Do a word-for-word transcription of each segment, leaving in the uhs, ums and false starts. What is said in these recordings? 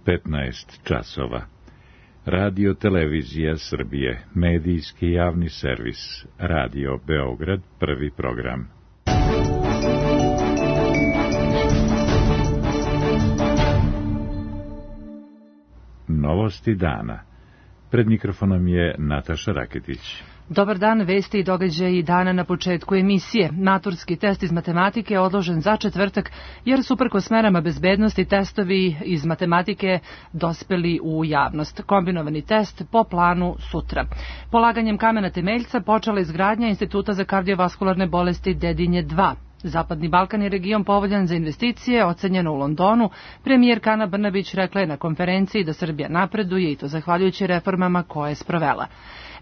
petnaest časova. Radio Televizija Srbije, medijski javni servis, Radio Beograd, prvi program. Novosti dana. Pred mikrofonom je Nataša Raketić. Dobar dan, vesti i događaji dana na početku emisije. Maturski test iz matematike je odložen za četvrtak, jer su uprkos merama bezbednosti testovi iz matematike dospeli u javnost. Kombinovani test po planu sutra. Polaganjem kamena temeljca počela izgradnja Instituta za kardiovaskularne bolesti Dedinje dva. Zapadni Balkan je region povoljan za investicije, ocenjeno u Londonu. Premijerka Ana Brnabić rekla je na konferenciji da Srbija napreduje i to zahvaljujući reformama koje je sprovela.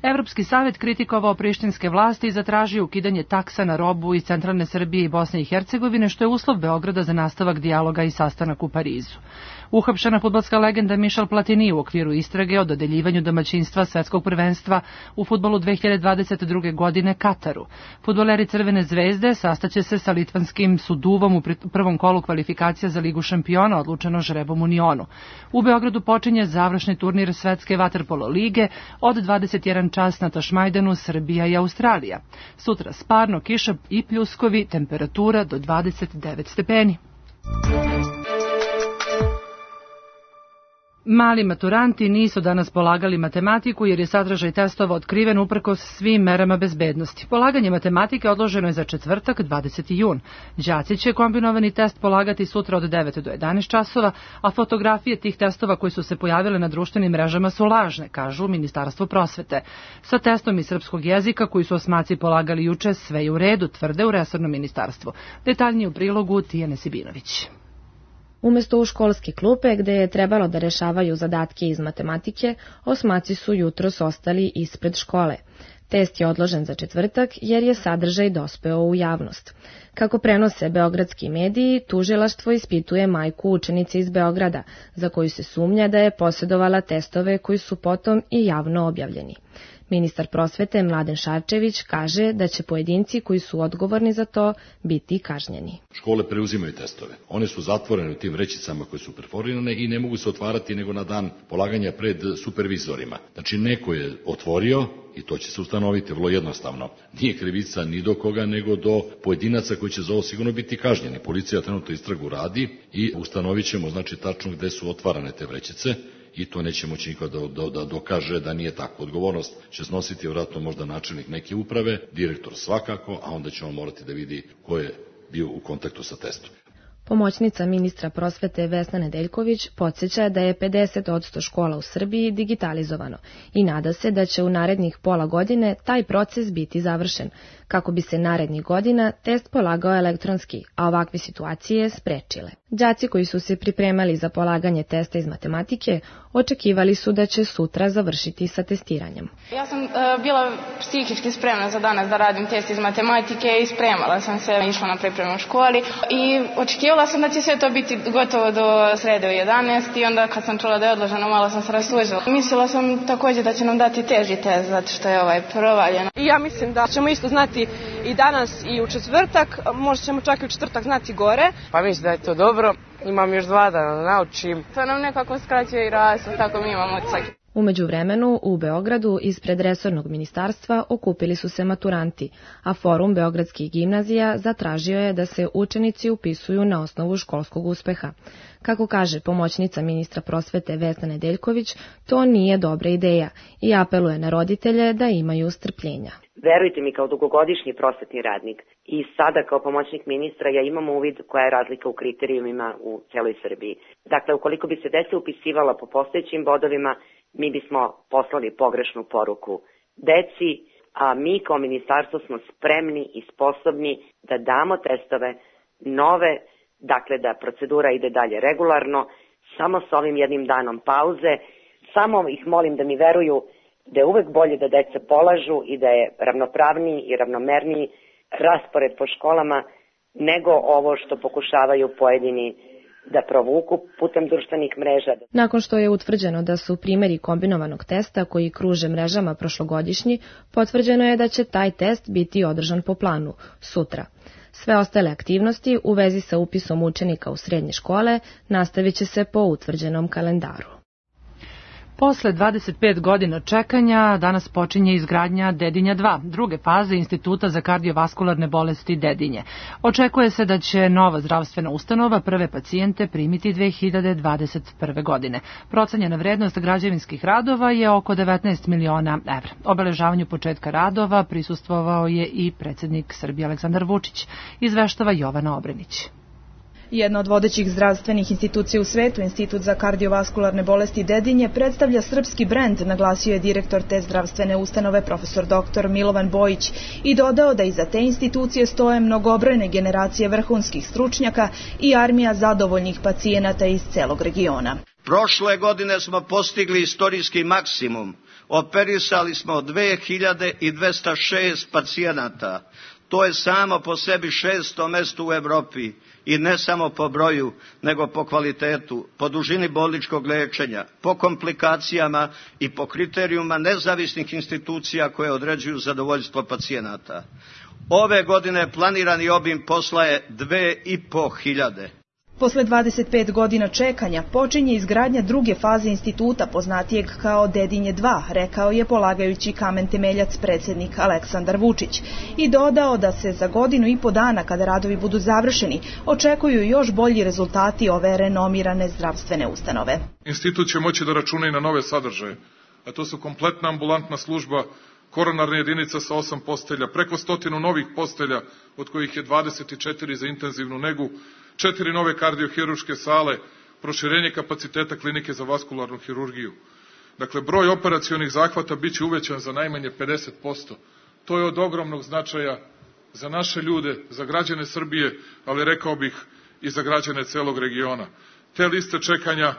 Evropski savjet kritikovao prištinske vlasti i zatražio ukidanje taksa na robu iz centralne Srbije i Bosne i Hercegovine, što je uslov Beograda za nastavak dijaloga i sastanak u Parizu. Uhapšena fudbalska legenda Michel Platini u okviru istrage o dodeljivanju domaćinstva svetskog prvenstva u fudbalu dve hiljade dvadeset druge. godine Kataru. Fudbaleri Crvene zvezde sastaće se sa litvanskim Suduvom u prvom kolu kvalifikacija za Ligu šampiona, odlučeno žrebom u Nionu. U Beogradu počinje završni turnir Svetske vaterpolo lige od dvadeset jedan čas na Tašmajdanu, Srbija i Australija. Sutra sparno, kiša i pljuskovi, temperatura do dvadeset devet stepeni. Mali maturanti nisu danas polagali matematiku jer je sadržaj testova otkriven uprkos svim merama bezbednosti. Polaganje matematike odloženo je za četvrtak, dvadeseti jun. Đaci će kombinovani test polagati sutra od devet do jedanaest časova, a fotografije tih testova koji su se pojavile na društvenim mrežama su lažne, kažu Ministarstvo prosvete. Sa testom iz srpskog jezika koji su osmaci polagali juče, sve je u redu, tvrde u resornom ministarstvu. Detaljnije u prilogu Tijane Sibinović. Umesto u školske klupe, gde je trebalo da rešavaju zadatke iz matematike, osmaci su jutros ostali ispred škole. Test je odložen za četvrtak jer je sadržaj dospeo u javnost. Kako prenose beogradski mediji, tužilaštvo ispituje majku učenice iz Beograda, za koju se sumnja da je posjedovala testove koji su potom i javno objavljeni. Ministar prosvete Mladen Šarčević kaže da će pojedinci koji su odgovorni za to biti kažnjeni. Škole preuzimaju testove. One su zatvorene u tim vrećicama koje su perforirane i ne mogu se otvarati nego na dan polaganja pred supervizorima. Znači neko je otvorio i to će se ustanoviti vrlo jednostavno. Nije krivica ni do koga nego do pojedinaca koji će za ovo sigurno biti kažnjeni. Policija trenutno istragu radi i ustanovit ćemo znači tačno gde su otvarane te vrećice. I to neće moći niko da, da, da dokaže da nije tako. Odgovornost će snositi vjerojatno možda načelnik neke uprave, direktor svakako, a onda će on morati da vidi ko je bio u kontaktu sa testom. Pomoćnica ministra prosvete Vesna Nedeljković podsjeća da je pedeset posto škola u Srbiji digitalizovano i nada se da će u narednih pola godine taj proces biti završen, kako bi se narednih godina test polagao elektronski, a ovakve situacije sprečile. Đaci koji su se pripremali za polaganje testa iz matematike očekivali su da će sutra završiti sa testiranjem. Ja sam uh, bila psihički spremna za danas da radim test iz matematike i spremala sam se, išla na pripremu u školi i očekivala sam da će sve to biti gotovo do srede u jedanaest i onda kad sam čula da je odloženo malo sam se rastužila. Mislila sam također da će nam dati teži test zato što je ovaj provaljen. I ja mislim da ćemo isto znati i danas i u četvrtak, možda ćemo čak i u četvrtak znati gore. Pa mislim da je to dobro, imam još dva dana da naučim. To nam nekako skraćuje i rastu, tako mi imamo odsak. U međuvremenu, u Beogradu, ispred resornog ministarstva, okupili su se maturanti, a Forum beogradskih gimnazija zatražio je da se učenici upisuju na osnovu školskog uspeha. Kako kaže pomoćnica ministra prosvete Vesna Nedeljković, to nije dobra ideja i apeluje na roditelje da imaju strpljenja. Verujte mi, kao dugogodišnji prosvetni radnik i sada kao pomoćnik ministra ja imam uvid koja je razlika u kriterijumima u celoj Srbiji. Dakle, ukoliko bi se deca upisivala po postojećim bodovima, mi bismo poslali pogrešnu poruku deci, a mi kao ministarstvo smo spremni i sposobni da damo testove nove, dakle da procedura ide dalje regularno, samo s ovim jednim danom pauze. Samo ih molim da mi veruju da je uvek bolje da deca polažu i da je ravnopravniji i ravnomerniji raspored po školama nego ovo što pokušavaju pojedini da provuku putem društvenih mreža. Nakon što je utvrđeno da su primjeri kombinovanog testa koji kruže mrežama prošlogodišnji, potvrđeno je da će taj test biti održan po planu sutra. Sve ostale aktivnosti u vezi sa upisom učenika u srednje škole nastavit će se po utvrđenom kalendaru. Posle dvadeset pet godina čekanja, danas počinje izgradnja Dedinja dva, druge faze Instituta za kardiovaskularne bolesti Dedinje. Očekuje se da će nova zdravstvena ustanova prve pacijente primiti dve hiljade dvadeset prve. godine. Procenjena vrednost građevinskih radova je oko devetnaest miliona evra. Obeležavanju početka radova prisustvovao je i predsjednik Srbije Aleksandar Vučić, izveštava Jovana Obrenić. Jedna od vodećih zdravstvenih institucija u svetu, Institut za kardiovaskularne bolesti Dedinje, predstavlja srpski brend, naglasio je direktor te zdravstvene ustanove profesor doktor Milovan Bojić i dodao da iza te institucije stoje mnogobrojne generacije vrhunskih stručnjaka i armija zadovoljnih pacijenata iz celog regiona. Prošle godine smo postigli istorijski maksimum. Operisali smo dve hiljade dvesta šest pacijenata. To je samo po sebi šesto mesto u Evropi. I ne samo po broju, nego po kvalitetu, po dužini bolničkog lečenja, po komplikacijama i po kriterijuma nezavisnih institucija koje određuju zadovoljstvo pacijenata. Ove godine planirani obim posla je dve i po hiljade. Posle dvadeset pet godina čekanja počinje izgradnja druge faze instituta, poznatijeg kao Dedinje dva, rekao je polagajući kamen temeljac predsjednik Aleksandar Vučić i dodao da se za godinu i po dana, kada radovi budu završeni, očekuju još bolji rezultati ove renomirane zdravstvene ustanove. Institut će moći da računa i na nove sadržaje, a to su kompletna ambulantna služba, koronarna jedinica sa osam postelja, preko stotinu novih postelja, od kojih je dvadeset četiri za intenzivnu negu, četiri nove kardiohiruške sale, proširenje kapaciteta klinike za vaskularnu hirurgiju. Dakle, broj operacionih zahvata biće uvećan za najmanje pedeset posto. To je od ogromnog značaja za naše ljude, za građane Srbije, ali rekao bih i za građane celog regiona. Te liste čekanja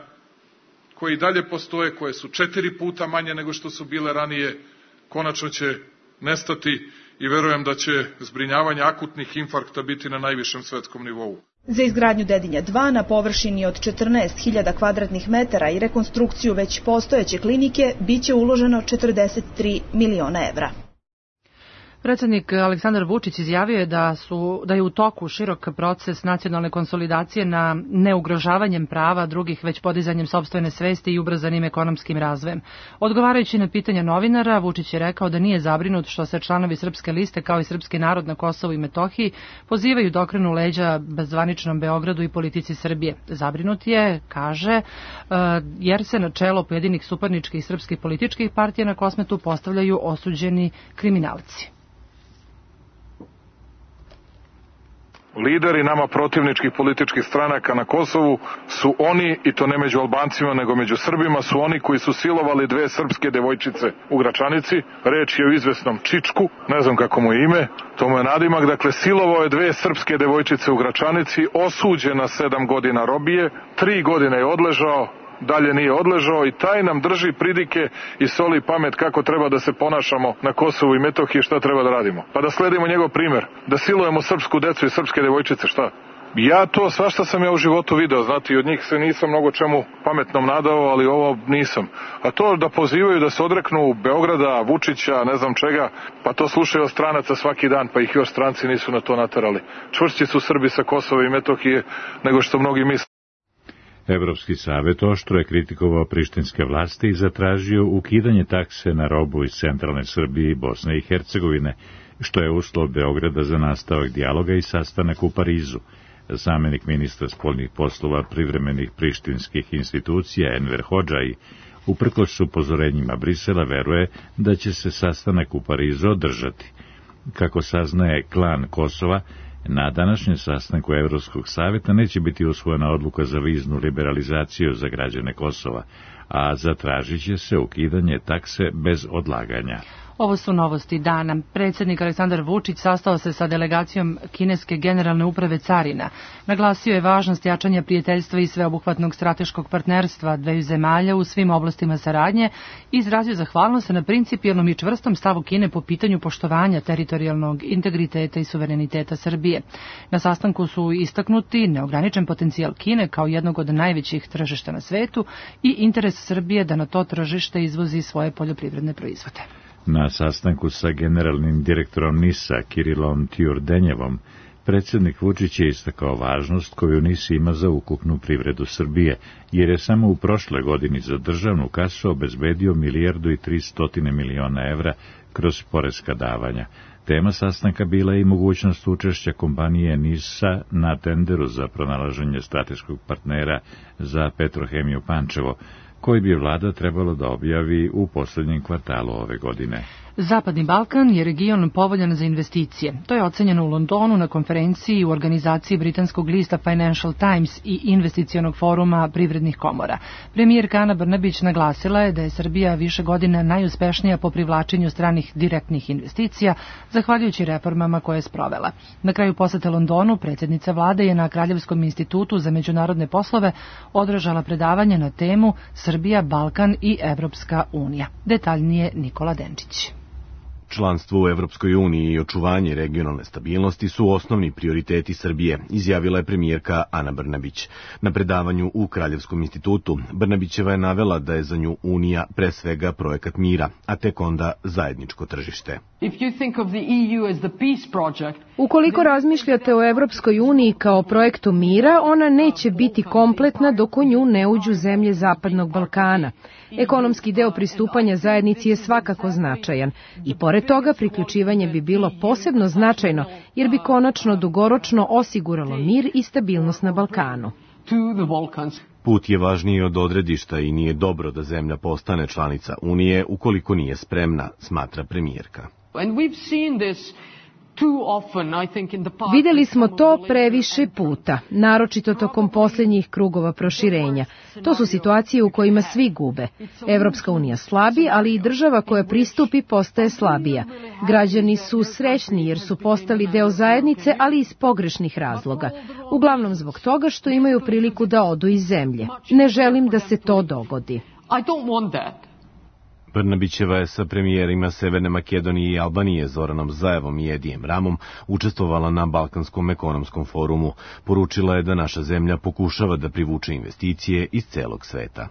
koje i dalje postoje, koje su četiri puta manje nego što su bile ranije, konačno će nestati i verujem da će zbrinjavanje akutnih infarkta biti na najvišem svetskom nivou. Za izgradnju Dedinja dva na površini od četrnaest hiljada kvadratnih metara i rekonstrukciju već postojeće klinike biće uloženo četrdeset tri miliona evra. Predsjednik Aleksandar Vučić izjavio je da, su, da je u toku širok proces nacionalne konsolidacije na neugrožavanjem prava drugih, već podizanjem sopstvene svesti i ubrzanim ekonomskim razvojem. Odgovarajući na pitanja novinara, Vučić je rekao da nije zabrinut što se članovi Srpske liste kao i srpski narod na Kosovu i Metohiji pozivaju da okrenu leđa bezvaničnom Beogradu i politici Srbije. Zabrinut je, kaže, jer se na čelo pojedinih suparničkih srpskih političkih partija na Kosmetu postavljaju osuđeni kriminalci. Lideri nama protivničkih političkih stranaka na Kosovu su oni, i to ne među Albancima nego među Srbima, su oni koji su silovali dve srpske devojčice u Gračanici. Reč je o izvesnom Čičku, ne znam kako mu je ime, to mu je nadimak. Dakle, silovao je dve srpske devojčice u Gračanici, osuđen na sedam godina robije, tri godine je odležao, dalje nije odležao i taj nam drži pridike i soli pamet kako treba da se ponašamo na Kosovu i Metohiji, šta treba da radimo. Pa da sledimo njegov primer, da silujemo srpsku decu i srpske devojčice, šta? Ja to, svašta sam ja u životu video, znate, i od njih se nisam mnogo čemu pametnom nadao, ali ovo nisam. A to da pozivaju da se odreknu Beograda, Vučića, ne znam čega, pa to slušaju od stranaca svaki dan, pa ih još stranci nisu na to naterali. Čvršći su Srbi sa Kosova i Metohije nego što mnogi misle. Evropski savet oštro je kritikovao prištinske vlasti i zatražio ukidanje takse na robu iz centralne Srbije i Bosne i Hercegovine, što je uslov Beograda za nastavak dijaloga i sastanak u Parizu. Zamenik ministra spoljnih poslova privremenih prištinskih institucija Enver Hodžaj, uprkos upozorenjima Brisela, veruje da će se sastanak u Parizu održati. Kako saznaje klan Kosova, na današnjem sastanku Evropskog savjeta neće biti usvojena odluka za viznu liberalizaciju za građane Kosova, a zatražit će se ukidanje takse bez odlaganja. Ovo su novosti dana. Predsjednik Aleksandar Vučić sastao se sa delegacijom kineske generalne uprave carina. Naglasio je važnost jačanja prijateljstva i sveobuhvatnog strateškog partnerstva dveju zemalja u svim oblastima saradnje i izrazio zahvalnost na principijelnom i čvrstom stavu Kine po pitanju poštovanja teritorijalnog integriteta i suvereniteta Srbije. Na sastanku su istaknuti neograničen potencijal Kine kao jednog od najvećih tržišta na svetu i interes Srbije da na to tržište izvozi svoje poljoprivredne proizvode. Na sastanku sa generalnim direktorom NIS-a Kirilom Tjurdenjevom, Predsjednik Vučić je istakao važnost koju N I S ima za ukupnu privredu Srbije, jer je samo u prošle godini za državnu kasu obezbedio milijardu i tristotine miliona evra kroz poreska davanja. Tema sastanka bila je i mogućnost učešća kompanije N I S-a na tenderu za pronalaženje strateškog partnera za Petrohemiju Pančevo, koji bi vlada trebalo da objavi u poslednjem kvartalu ove godine. Zapadni Balkan je region povoljan za investicije. To je ocenjeno u Londonu na konferenciji u organizaciji britanskog lista Financial Times i investicionog foruma privrednih komora. Premijerka Ana Brnabić naglasila je da je Srbija više godina najuspešnija po privlačenju stranih direktnih investicija, zahvaljujući reformama koje je sprovela. Na kraju posete Londonu, predsjednica vlade je na Kraljevskom institutu za međunarodne poslove održala predavanje na temu Srbija, Balkan i Evropska unija. Detaljnije Nikola Denčić. Članstvo u Evropskoj uniji i očuvanje regionalne stabilnosti su osnovni prioriteti Srbije, izjavila je premijerka Ana Brnabić. Na predavanju u Kraljevskom institutu Brnabićeva je navela da je za nju Unija pre svega projekat mira, a tek onda zajedničko tržište. Ukoliko razmišljate o Evropskoj uniji kao projektu mira, ona neće biti kompletna dok u nju ne uđu zemlje Zapadnog Balkana. Ekonomski deo pristupanja zajednici je svakako značajan i pored toga priključivanje bi bilo posebno značajno jer bi konačno dugoročno osiguralo mir i stabilnost na Balkanu. Put je važniji od odredišta i nije dobro da zemlja postane članica Unije ukoliko nije spremna, smatra premijerka. Videli smo to previše puta, naročito tokom posljednjih krugova proširenja. To su situacije u kojima svi gube. Evropska unija slabi, ali i država koja pristupi postaje slabija. Građani su srećni jer su postali deo zajednice, ali iz pogrešnih razloga. Uglavnom zbog toga što imaju priliku da odu iz zemlje. Ne želim da se to dogodi. Brnabićeva je sa premijerima Severne Makedonije i Albanije Zoranom Zaevom i Edijem Ramom učestvovala na Balkanskom ekonomskom forumu. Poručila je da naša zemlja pokušava da privuče investicije iz celog sveta.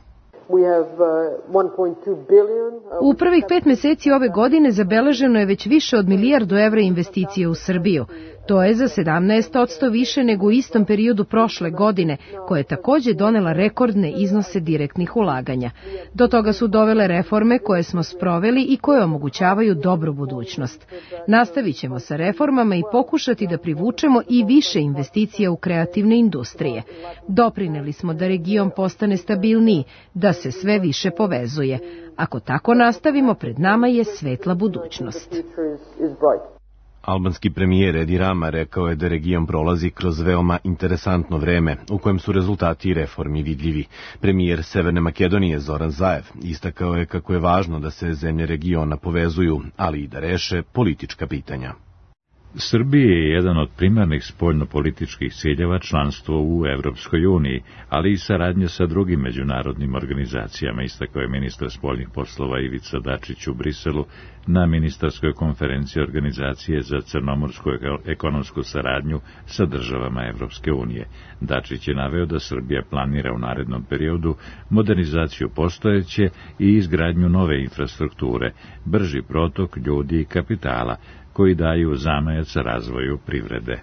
U prvih pet meseci ove godine zabeleženo je već više od milijardu evra investicije u Srbiju. To je za sedamnaest posto više nego u istom periodu prošle godine, koja je takođe donela rekordne iznose direktnih ulaganja. Do toga su dovele reforme koje smo sproveli i koje omogućavaju dobru budućnost. Nastavit ćemo sa reformama i pokušati da privučemo i više investicija u kreativne industrije. Doprineli smo da region postane stabilniji, da se sve više povezuje. Ako tako nastavimo, pred nama je svetla budućnost. Albanski premijer Edi Rama rekao je da region prolazi kroz veoma interesantno vreme, u kojem su rezultati reformi vidljivi. Premijer Severne Makedonije Zoran Zaev istakao je kako je važno da se zemlje regiona povezuju, ali i da reše politička pitanja. Srbiji je jedan od primarnih spoljnopolitičkih ciljeva članstvo u Evropskoj uniji, ali i saradnja sa drugim međunarodnim organizacijama, istakao je ministar spoljnih poslova Ivica Dačić u Briselu na ministarskoj konferenciji Organizacije za crnomorsku ekonomsku saradnju sa državama Evropske unije. Dačić je naveo da Srbija planira u narednom periodu modernizaciju postojeće i izgradnju nove infrastrukture, brži protok ljudi i kapitala, koji daju zamajac razvoju privrede.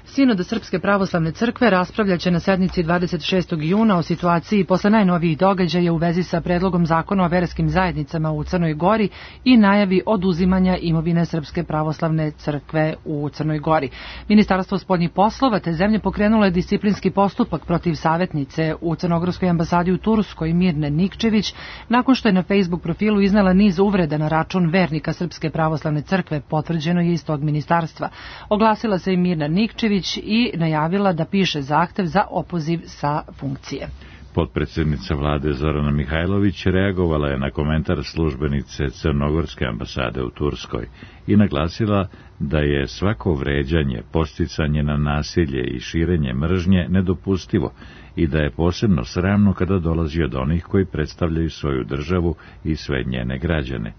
Sinod Srpske pravoslavne crkve raspravljaće na sednici dvadeset šestog juna o situaciji posle najnovijih događaja u vezi sa predlogom zakona o verskim zajednicama u Crnoj Gori i najavi oduzimanja imovine Srpske pravoslavne crkve u Crnoj Gori. Ministarstvo spoljnih poslova te zemlje pokrenulo je disciplinski postupak protiv savjetnice u Crnogorskoj ambasadi u Turskoj Mirne Nikčević nakon što je na Facebook profilu iznela niz uvreda na račun vernika Srpske pravoslavne crkve, potvrđeno je iz tog ministarstva. Oglasila se i Mirna Nikčević i najavila da piše zahtev za opoziv sa funkcije. Potpredsjednica vlade Zorana Mihajlović reagovala je na komentar službenice Crnogorske ambasade u Turskoj i naglasila da je svako vređanje, podsticanje na nasilje i širenje mržnje nedopustivo i da je posebno sramno kada dolazi od onih koji predstavljaju svoju državu i sve njene građane.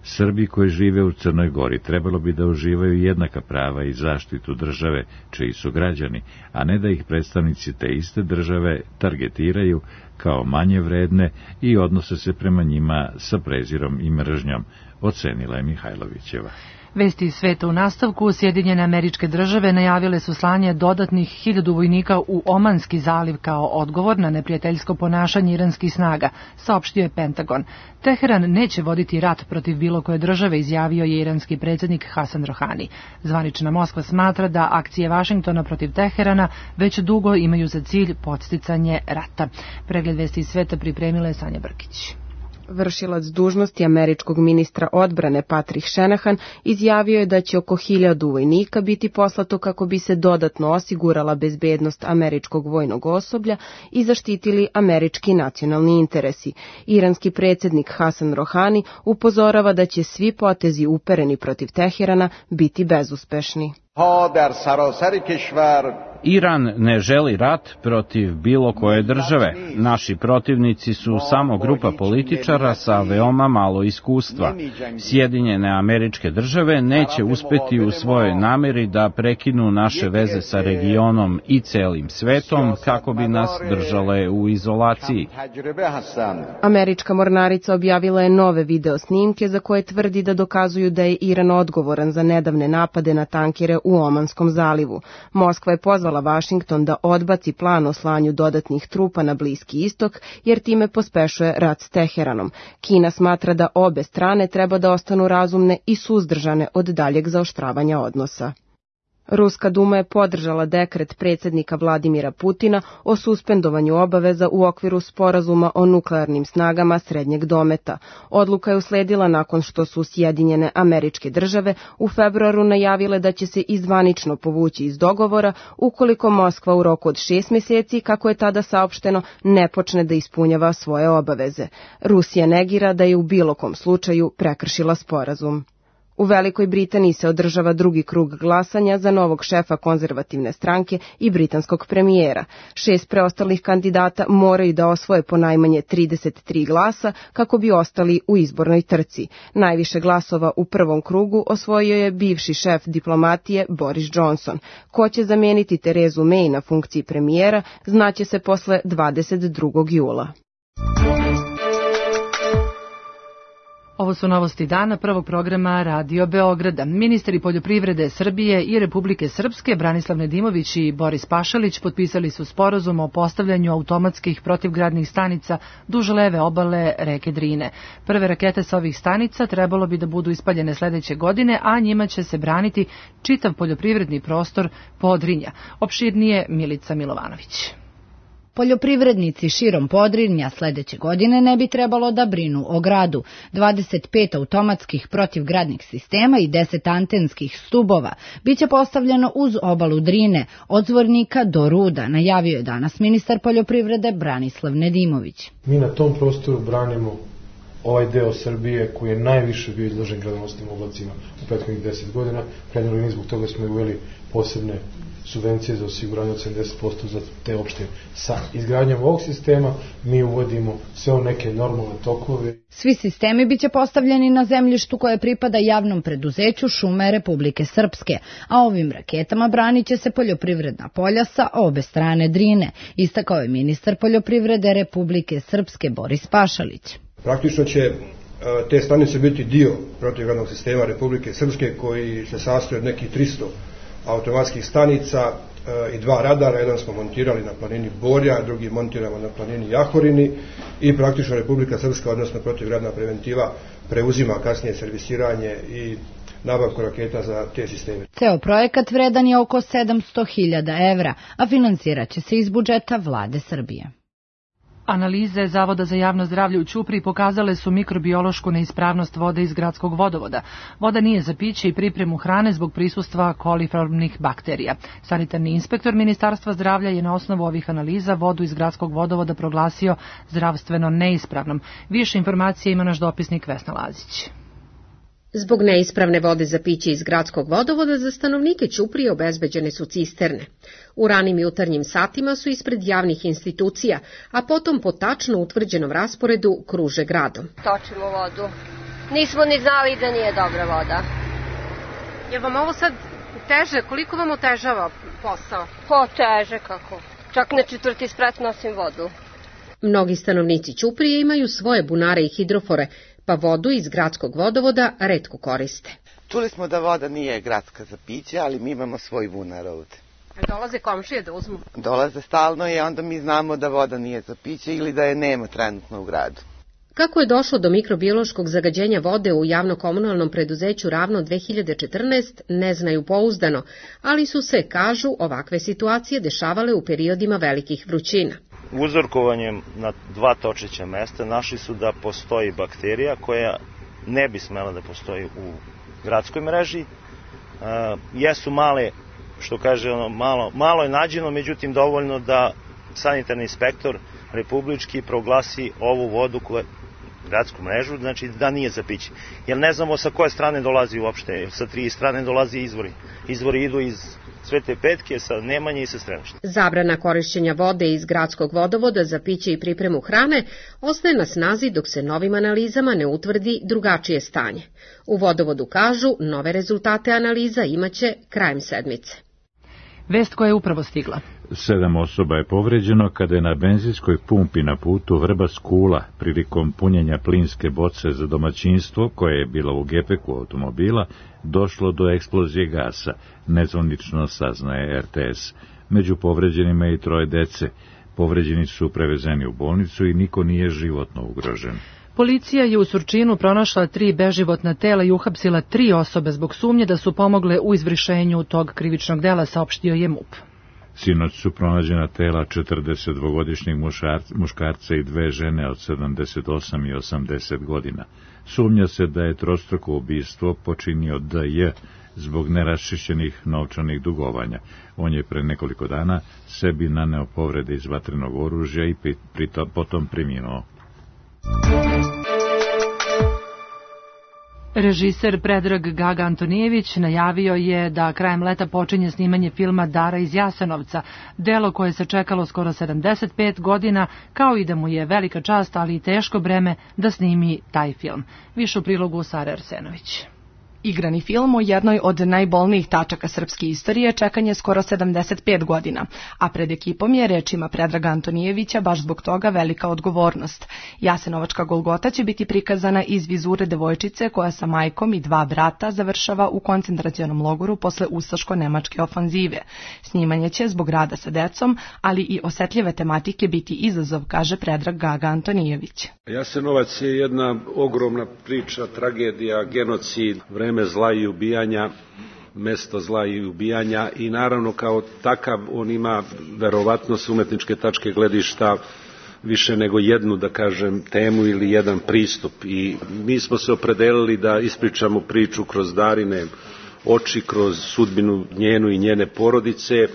Srbi koji žive u Crnoj Gori trebalo bi da uživaju jednaka prava i zaštitu države čiji su građani, a ne da ih predstavnici te iste države targetiraju kao manje vredne i odnose se prema njima sa prezirom i mržnjom, ocenila je Mihajlovićeva. Vesti iz sveta u nastavku. Sjedinjene Američke Države najavile su slanje dodatnih hiljadu vojnika u Omanski zaliv kao odgovor na neprijateljsko ponašanje iranskih snaga, saopštio je Pentagon. Teheran neće voditi rat protiv bilo koje države, izjavio je iranski predsjednik Hasan Rohani. Zvanična Moskva smatra da akcije Vašingtona protiv Teherana već dugo imaju za cilj podsticanje rata. Pregled vesti iz sveta pripremila je Sanja Brkić. Vršilac dužnosti američkog ministra odbrane Patrick Shanahan izjavio je da će oko hiljadu vojnika biti poslato kako bi se dodatno osigurala bezbednost američkog vojnog osoblja i zaštitili američki nacionalni interesi. Iranski predsjednik Hasan Rohani upozorava da će svi potezi upereni protiv Teherana biti bezuspešni. Iran ne želi rat protiv bilo koje države. Naši protivnici su samo grupa političara sa veoma malo iskustva. Sjedinjene Američke Države neće uspeti u svojoj nameri da prekinu naše veze sa regionom i celim svetom kako bi nas držale u izolaciji. Američka mornarica objavila je nove video snimke za koje tvrdi da dokazuju da je Iran odgovoran za nedavne napade na tankere u Omanskom zalivu. Moskva je pozvala Vašington da odbaci plan o slanju dodatnih trupa na Bliski istok, jer time pospešuje rat s Teheranom. Kina smatra da obe strane treba da ostanu razumne i suzdržane od daljeg zaoštravanja odnosa. Ruska duma je podržala dekret predsjednika Vladimira Putina o suspendovanju obaveza u okviru sporazuma o nuklearnim snagama srednjeg dometa. Odluka je usledila nakon što su Sjedinjene Američke Države u februaru najavile da će se izvanično povući iz dogovora ukoliko Moskva u roku od šest mjeseci, kako je tada saopšteno, ne počne da ispunjava svoje obaveze. Rusija negira da je u bilo kom slučaju prekršila sporazum. U Velikoj Britaniji se održava drugi krug glasanja za novog šefa konzervativne stranke i britanskog premijera. Šest preostalih kandidata moraju da osvoje po najmanje trideset tri glasa kako bi ostali u izbornoj trci. Najviše glasova u prvom krugu osvojio je bivši šef diplomatije Boris Johnson. Ko će zamijeniti Terezu May na funkciji premijera, znaće se posle dvadeset drugog jula. Ovo su novosti dana prvog programa Radio Beograda. Ministri poljoprivrede Srbije i Republike Srpske Branislav Nedimović i Boris Pašalić potpisali su sporazum o postavljanju automatskih protivgradnih stanica duž leve obale reke Drine. Prve rakete sa ovih stanica trebalo bi da budu ispaljene sledeće godine, a njima će se braniti čitav poljoprivredni prostor Podrinja. Opširnije Milica Milovanović. Poljoprivrednici širom Podrinja sledeće godine ne bi trebalo da brinu o gradu. dvadeset pet automatskih protivgradnih sistema i deset antenskih stubova biće postavljeno uz obalu Drine, od Zvornika do Ruda, najavio je danas ministar poljoprivrede Branislav Nedimović. Mi na tom prostoru branimo ovaj deo Srbije koji je najviše bio izložen gradonosnim oblacima u prethodnih deset godina. Krajnjoj liniji zbog toga smo uveli posebne subvencije za osiguranje od sedamdeset posto za te opštine. Sa izgradnjom ovog sistema mi uvodimo sve u neke normalne tokove. Svi sistemi biće postavljeni na zemljištu koje pripada javnom preduzeću Šume Republike Srpske, a ovim raketama branit će se poljoprivredna polja sa obe strane Drine, istakao je ministar poljoprivrede Republike Srpske Boris Pašalić. Praktično će te stanice biti dio protivgradnog sistema Republike Srpske koji se sastoji od nekih tristo automatskih stanica i dva radara. Jedan smo montirali na planini Borja, drugi montiramo na planini Jahorini i praktično Republika Srpska, odnosno protivgradna preventiva, preuzima kasnije servisiranje i nabavku raketa za te sisteme. Ceo projekat vredan je oko sedamsto hiljada evra, a finansirat će se iz budžeta Vlade Srbije. Analize Zavoda za javno zdravlje u Ćupriji pokazale su mikrobiološku neispravnost vode iz gradskog vodovoda. Voda nije za piće i pripremu hrane zbog prisustva koliformnih bakterija. Sanitarni inspektor Ministarstva zdravlja je na osnovu ovih analiza vodu iz gradskog vodovoda proglasio zdravstveno neispravnom. Više informacije ima naš dopisnik Vesna Lazić. Zbog neispravne vode za piće iz gradskog vodovoda za stanovnike Ćuprije obezbeđene su cisterne. U ranim jutarnjim satima su ispred javnih institucija, a potom po tačno utvrđenom rasporedu kruže gradom. Točimo vodu. Nismo ni znali da nije dobra voda. Je vam ovo sad teže? Koliko vam otežava posao? Po teže kako. Čak na četvrti sprat nosim vodu. Mnogi stanovnici Ćuprije imaju svoje bunare i hidrofore, pa vodu iz gradskog vodovoda retko koriste. Čuli smo da voda nije gradska za piće, ali mi imamo svoj bunar ovde. Dolaze komšije da uzmu? Dolaze stalno i onda mi znamo da voda nije za piće ili da je nema trenutno u gradu. Kako je došlo do mikrobiološkog zagađenja vode u javno-komunalnom preduzeću Ravno dve hiljade četrnaeste ne znaju pouzdano, ali su se, kažu, ovakve situacije dešavale u periodima velikih vrućina. Uzorkovanjem na dva točeća mesta našli su da postoji bakterija koja ne bi smela da postoji u gradskoj mreži. E, jesu male, što kaže ono, malo, malo je nađeno, međutim dovoljno da sanitarni inspektor republički proglasi ovu vodu koja gradsku mrežu, znači da nije za piće. Jer ne znamo sa koje strane dolazi uopšte, sa tri strane dolazi izvori. Izvori idu iz Svete Petke, sa Nemanje i sa Stremišta. Zabrana korišćenja vode iz gradskog vodovoda za piće i pripremu hrane ostaje na snazi dok se novim analizama ne utvrdi drugačije stanje. U vodovodu kažu, nove rezultate analiza imaće krajem sedmice. Vest koja je upravo stigla. Sedam osoba je povređeno kada je na benzinskoj pumpi na putu Vrbas Kula prilikom punjenja plinske boce za domaćinstvo, koje je bila u gepeku automobila, došlo do eksplozije gasa, nezvanično saznaje er te es. Među povređenima je i troje dece. Povređeni su prevezeni u bolnicu i niko nije životno ugrožen. Policija je u Surčinu pronašla tri beživotna tela i uhapsila tri osobe zbog sumnje da su pomogle u izvršenju tog krivičnog dela, saopštio je MUP. Sinoć su pronađena tela četrdesetdvogodišnjeg muškarca i dve žene od sedamdeset osam i osamdeset godina. Sumnja se da je trostruko ubistvo počinio de je zbog neraščišćenih novčanih dugovanja. On je pre nekoliko dana sebi naneo povrede iz vatrenog oružja i pritom potom preminuo. Režiser Predrag Gaga Antonijević najavio je da krajem leta počinje snimanje filma Dara iz Jasenovca, delo koje se čekalo skoro sedamdeset pet godina, kao i da mu je velika čast, ali i teško breme da snimi taj film. Više u prilogu Sara Arsenović. Igrani film o jednoj od najbolnijih tačaka srpske istorije čekan je skoro sedamdeset pet godina, a pred ekipom je, rečima Predraga Antonijevića, baš zbog toga velika odgovornost. Jasenovačka Golgota će biti prikazana iz vizure devojčice koja sa majkom i dva brata završava u koncentracionom logoru posle ustaško-nemačke ofanzive. Snimanje će zbog rada sa decom, ali i osetljive tematike biti izazov, kaže Predrag Gaga Antonijević. Jasenovac je jedna ogromna priča, tragedija, genocid, vreme zla i ubijanja, mesto zla i ubijanja i naravno kao takav on ima verovatno s umetničke tačke gledišta više nego jednu, da kažem, temu ili jedan pristup i mi smo se opredelili da ispričamo priču kroz Darine oči, kroz sudbinu njenu i njene porodice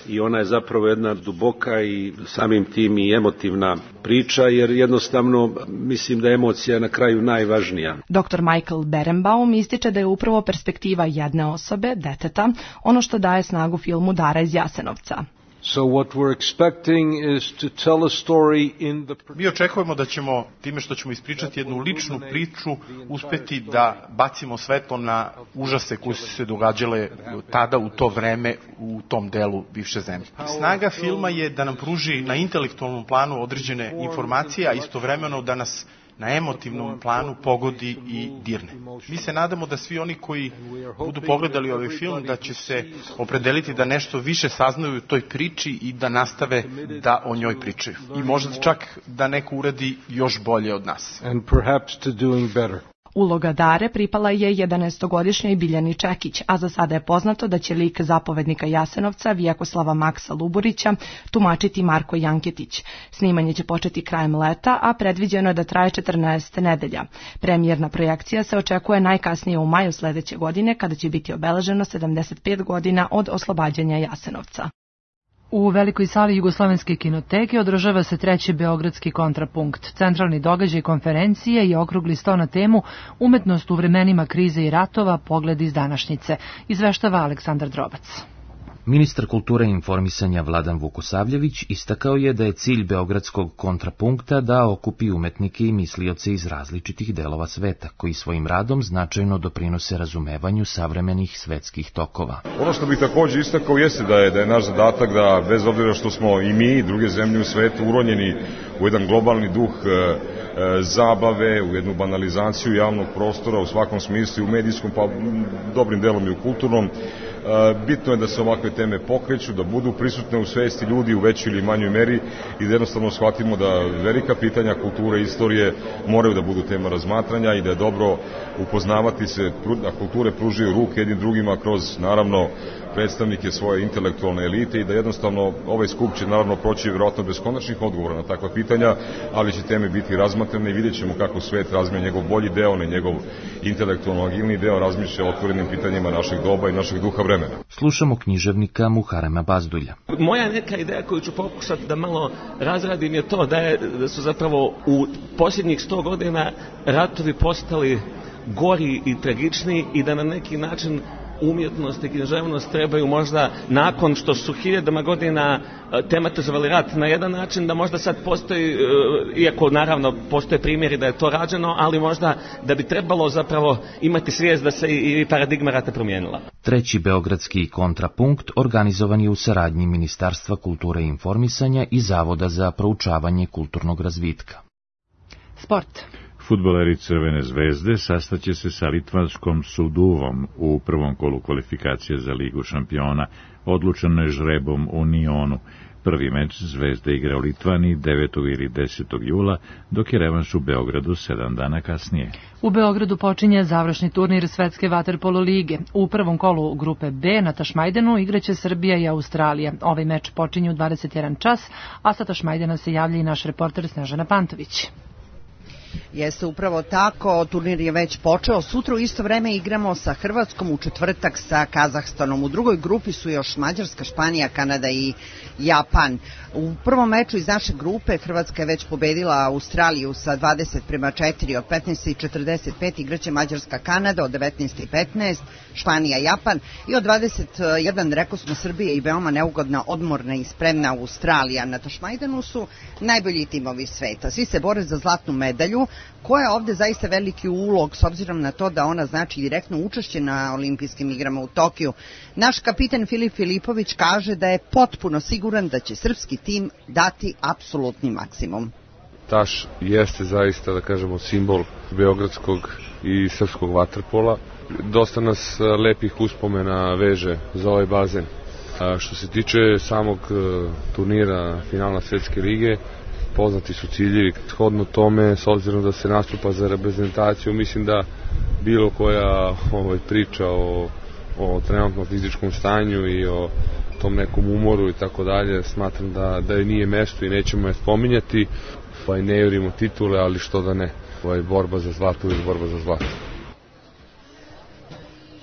i ona je zapravo jedna duboka i samim tim i emotivna priča, jer jednostavno mislim da je emocija na kraju najvažnija. doktor Michael Berenbaum ističe da je upravo perspektiva jedne osobe, deteta, ono što daje snagu filmu Dara iz Jasenovca. So what we're expecting is to tell a story in the... Mi očekujemo da ćemo, time što ćemo ispričati jednu ličnu priču, uspeti da bacimo svetlo na užase koji su se događale tada u to vreme u tom delu bivše zemlje. Snaga filma je da nam pruži na intelektualnom planu određene informacije, a istovremeno da nas na emotivnom planu pogodi i dirne. Mi se nadamo da svi oni koji budu pogledali ovaj film da će se opredeliti da nešto više saznaju u toj priči i da nastave da o njoj pričaju. I možda čak da neko uradi još bolje od nas. And perhaps to doing better. Uloga Dare pripala je jedanaestogodišnjoj Biljani Čekić, a za sada je poznato da će lik zapovednika Jasenovca Vjekoslava Maksa Luburića tumačiti Marko Janketić. Snimanje će početi krajem leta, a predviđeno je da traje četrnaest nedelja. Premijerna projekcija se očekuje najkasnije u maju sledeće godine, kada će biti obeleženo sedamdeset pet godina od oslobađanja Jasenovca. U velikoj sali Jugoslovenske kinoteke održava se treći beogradski kontrapunkt. Centralni događaj konferencije je okrugli sto na temu Umetnost u vremenima krize i ratova, pogled iz današnjice. Izveštava Aleksandar Drobac. Ministar kulture i informisanja Vladan Vukosavljević istakao je da je cilj Beogradskog kontrapunkta da okupi umetnike i mislioce iz različitih delova sveta, koji svojim radom značajno doprinose razumevanju savremenih svetskih tokova. Ono što bih takođe istakao jeste da je, da je naš zadatak da, bez obzira što smo i mi i druge zemlje u svetu uronjeni u jedan globalni duh e, e, zabave, u jednu banalizaciju javnog prostora u svakom smislu, u medijskom, pa dobrim delom i u kulturnom, bitno je da se ovakve teme pokreću, da budu prisutne u svesti ljudi u većoj ili manjoj meri i da jednostavno shvatimo da velika pitanja kulture i istorije moraju da budu tema razmatranja i da je dobro upoznavati se, da kulture pružaju ruke jednim drugima kroz, naravno, predstavnike svoje intelektualne elite i da jednostavno ovaj skup će naravno proći vjerojatno bez konačnih odgovora na takva pitanja, ali će teme biti razmatrane i vidjet ćemo kako svet razmije njegov bolji deo, ne njegov intelektualno agilni deo, razmišlja o otvorenim pitanjima našeg doba i našeg duha vremena. Slušamo književnika Muharema Bazdulja. Moja neka ideja koju ću pokušati da malo razradim je to da, je, da su zapravo u posljednjih sto godina ratovi postali gori i tragični i da na neki način umjetnost i književnost trebaju možda nakon što su hiljadama godina tematizovali rat na jedan način, da možda sad postoji, iako naravno postoje primjeri da je to rađeno, ali možda da bi trebalo zapravo imati svijest da se i paradigma rata promijenila. Treći beogradski kontrapunkt organizovan je u saradnji Ministarstva kulture i informisanja i Zavoda za proučavanje kulturnog razvitka. Sport. Fudbaleri Crvene zvezde sastaće se sa litvanskom Suduvom u prvom kolu kvalifikacije za Ligu šampiona, odlučeno je žrebom u Nionu. Prvi meč Zvezde igra u Litvani devetog ili desetog jula, dok je revanš u Beogradu sedam dana kasnije. U Beogradu počinje završni turnir Svetske vaterpolo lige. U prvom kolu grupe B na Tašmajdenu igraće Srbija i Australija. Ovaj meč počinje u dvadeset jedan čas, a sa Tašmajdena se javlja i naš reporter Snežana Pantović. Jeste upravo tako, turnir je već počeo, sutra u isto vreme igramo sa Hrvatskom, u četvrtak sa Kazahstanom. U drugoj grupi su još Mađarska, Španija, Kanada i Japan. U prvom meču iz naše grupe Hrvatska je već pobedila Australiju sa dvadeset prema četiri, od petnaest i četrdeset pet igraće Mađarska, Kanada, od devetnaest i petnaest Španija, Japan i od dvadeset jedan rekao smo Srbije i veoma neugodna, odmorna i spremna Australija. Na Tašmajdanu su najbolji timovi sveta. Svi se bore za zlatnu medalju, koja je ovde zaista veliki ulog s obzirom na to da ona znači direktno učešće na olimpijskim igrama u Tokiju. Naš kapitan Filip Filipović kaže da je potpuno siguran da će srpski tim dati apsolutni maksimum. Taš jeste zaista, da kažemo, simbol beogradskog i srpskog vaterpola. Dosta nas lepih uspomena veže za ovaj bazen. A što se tiče samog turnira finala Svetske lige, poznati su ciljevi. Shodno tome, s obzirom da se nastupa za reprezentaciju, mislim da bilo koja ovaj, priča o, o trenutnom fizičkom stanju i o tom nekom umoru i tako dalje, smatram da, da je nije mesto i nećemo je spominjati. Pa i ne jurimo titule, ali što da ne. Ovaj, borba za zlato ili borba za zlato.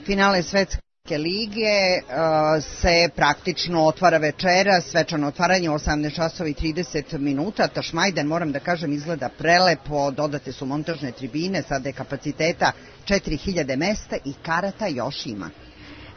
Finale Svetske lige uh, se praktično otvara večera, svečano otvaranje u osamnaest časova i trideset minuta. Tašmajden, moram da kažem, izgleda prelepo, dodate su montažne tribine, sada je kapaciteta četiri hiljade mesta i karata još ima.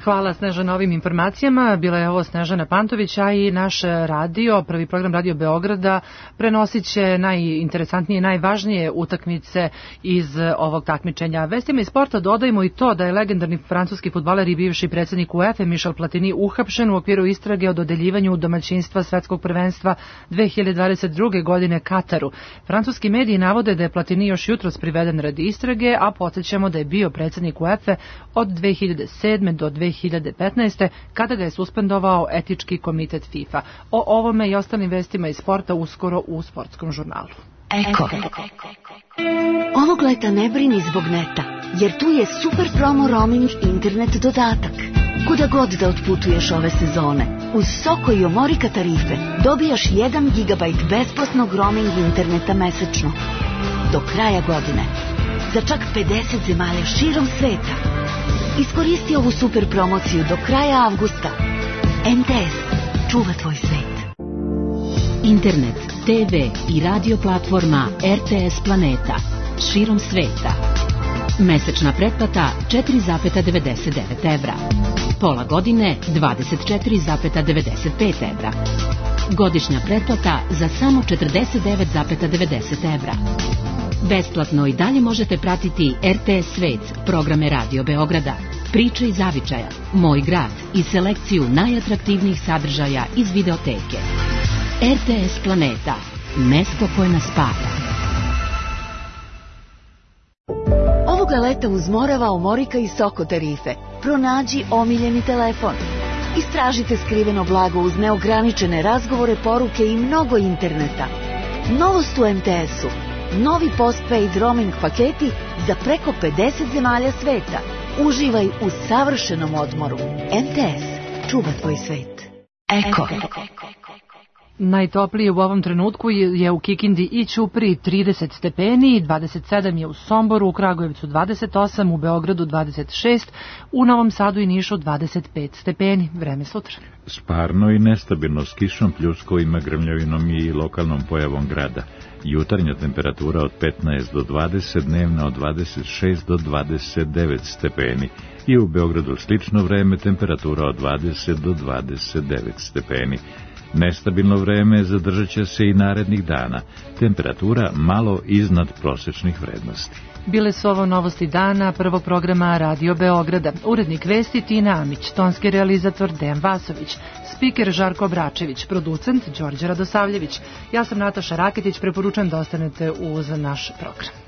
Hvala Sneža na ovim informacijama. Bila je ovo Snežana Pantović, a i naš radio, prvi program Radio Beograda, prenosit će najinteresantnije i najvažnije utakmice iz ovog takmičenja. Vestima iz sporta dodajemo i to da je legendarni francuski fudbaler i bivši predsjednik UEFA Michel Platini uhapšen u okviru istrage o dodeljivanju domaćinstva svetskog prvenstva dve hiljade dvadeset druge godine Kataru. Francuski mediji navode da je Platini još jutros priveden radi istrage, a podsjećamo da je bio predsjednik UEFA od dve hiljade sedme do dve hiljade petnaeste kada ga je suspendovao etički komitet FIFA. O ovome i ostalim vestima iz sporta uskoro u sportskom žurnalu. Eko. Ovog leta ne brini zbog neta, jer tu je super promo roaming internet dodatak. Kuda god da otputuješ ove sezone, uz Soko i Omorika tarife dobijaš jedan gigabajt besplatnog roaming interneta mesečno. Do kraja godine. Za čak pedeset zemalja širom sveta. Iskoristi ovu super promociju do kraja avgusta. M T S. Čuva tvoj svet. Internet, te ve i radio platforma R T S Planeta. Širom sveta. Mesečna pretplata četiri zarez devedeset devet evra. Pola godine dvadeset četiri zarez devedeset pet evra. Godišnja pretplata za samo četrdeset devet zarez devedeset evra. Besplatno i dalje možete pratiti er te es Svet, programe Radio Beograda, Priče iz zavičaja, Moj grad i selekciju najatraktivnijih sadržaja iz videoteke. er te es Planeta, mesto koje nas spaja. Ovoga leta uz Morava, Omorika i Soko tarife. Pronađi omiljeni telefon. Istražite skriveno blago uz neograničene razgovore, poruke i mnogo interneta. Novost u em te esu. Novi postpaid roaming paketi za preko pedeset zemalja sveta. Uživaj u savršenom odmoru. em te es. Čuva tvoj svet. Eko. Najtoplije u ovom trenutku je u Kikindi i Ćupriji trideset stepeni, dvadeset sedam je u Somboru, u Kragujevcu dvadeset osam, u Beogradu dvadeset šest, u Novom Sadu i Nišu dvadeset pet stepeni. Vreme sutra. Sparno i nestabilno s kišom, pljuskovima, grmljavinom i lokalnom pojavom grada. Jutarnja temperatura od petnaest do dvadeset, dnevna od dvadeset šest do dvadeset devet stepeni. I u Beogradu slično vreme, temperatura od dvadeset do dvadeset devet stepeni. Nestabilno vreme zadržat će se i narednih dana. Temperatura malo iznad prosečnih vrednosti. Bile su ovo novosti dana prvog programa Radio Beograda. Urednik vesti Tina Amić, tonski realizator Dejan Vasović, spiker Žarko Bračević, producent Đorđe Radosavljević. Ja sam Nataša Raketić, preporučujem da ostanete uz naš program.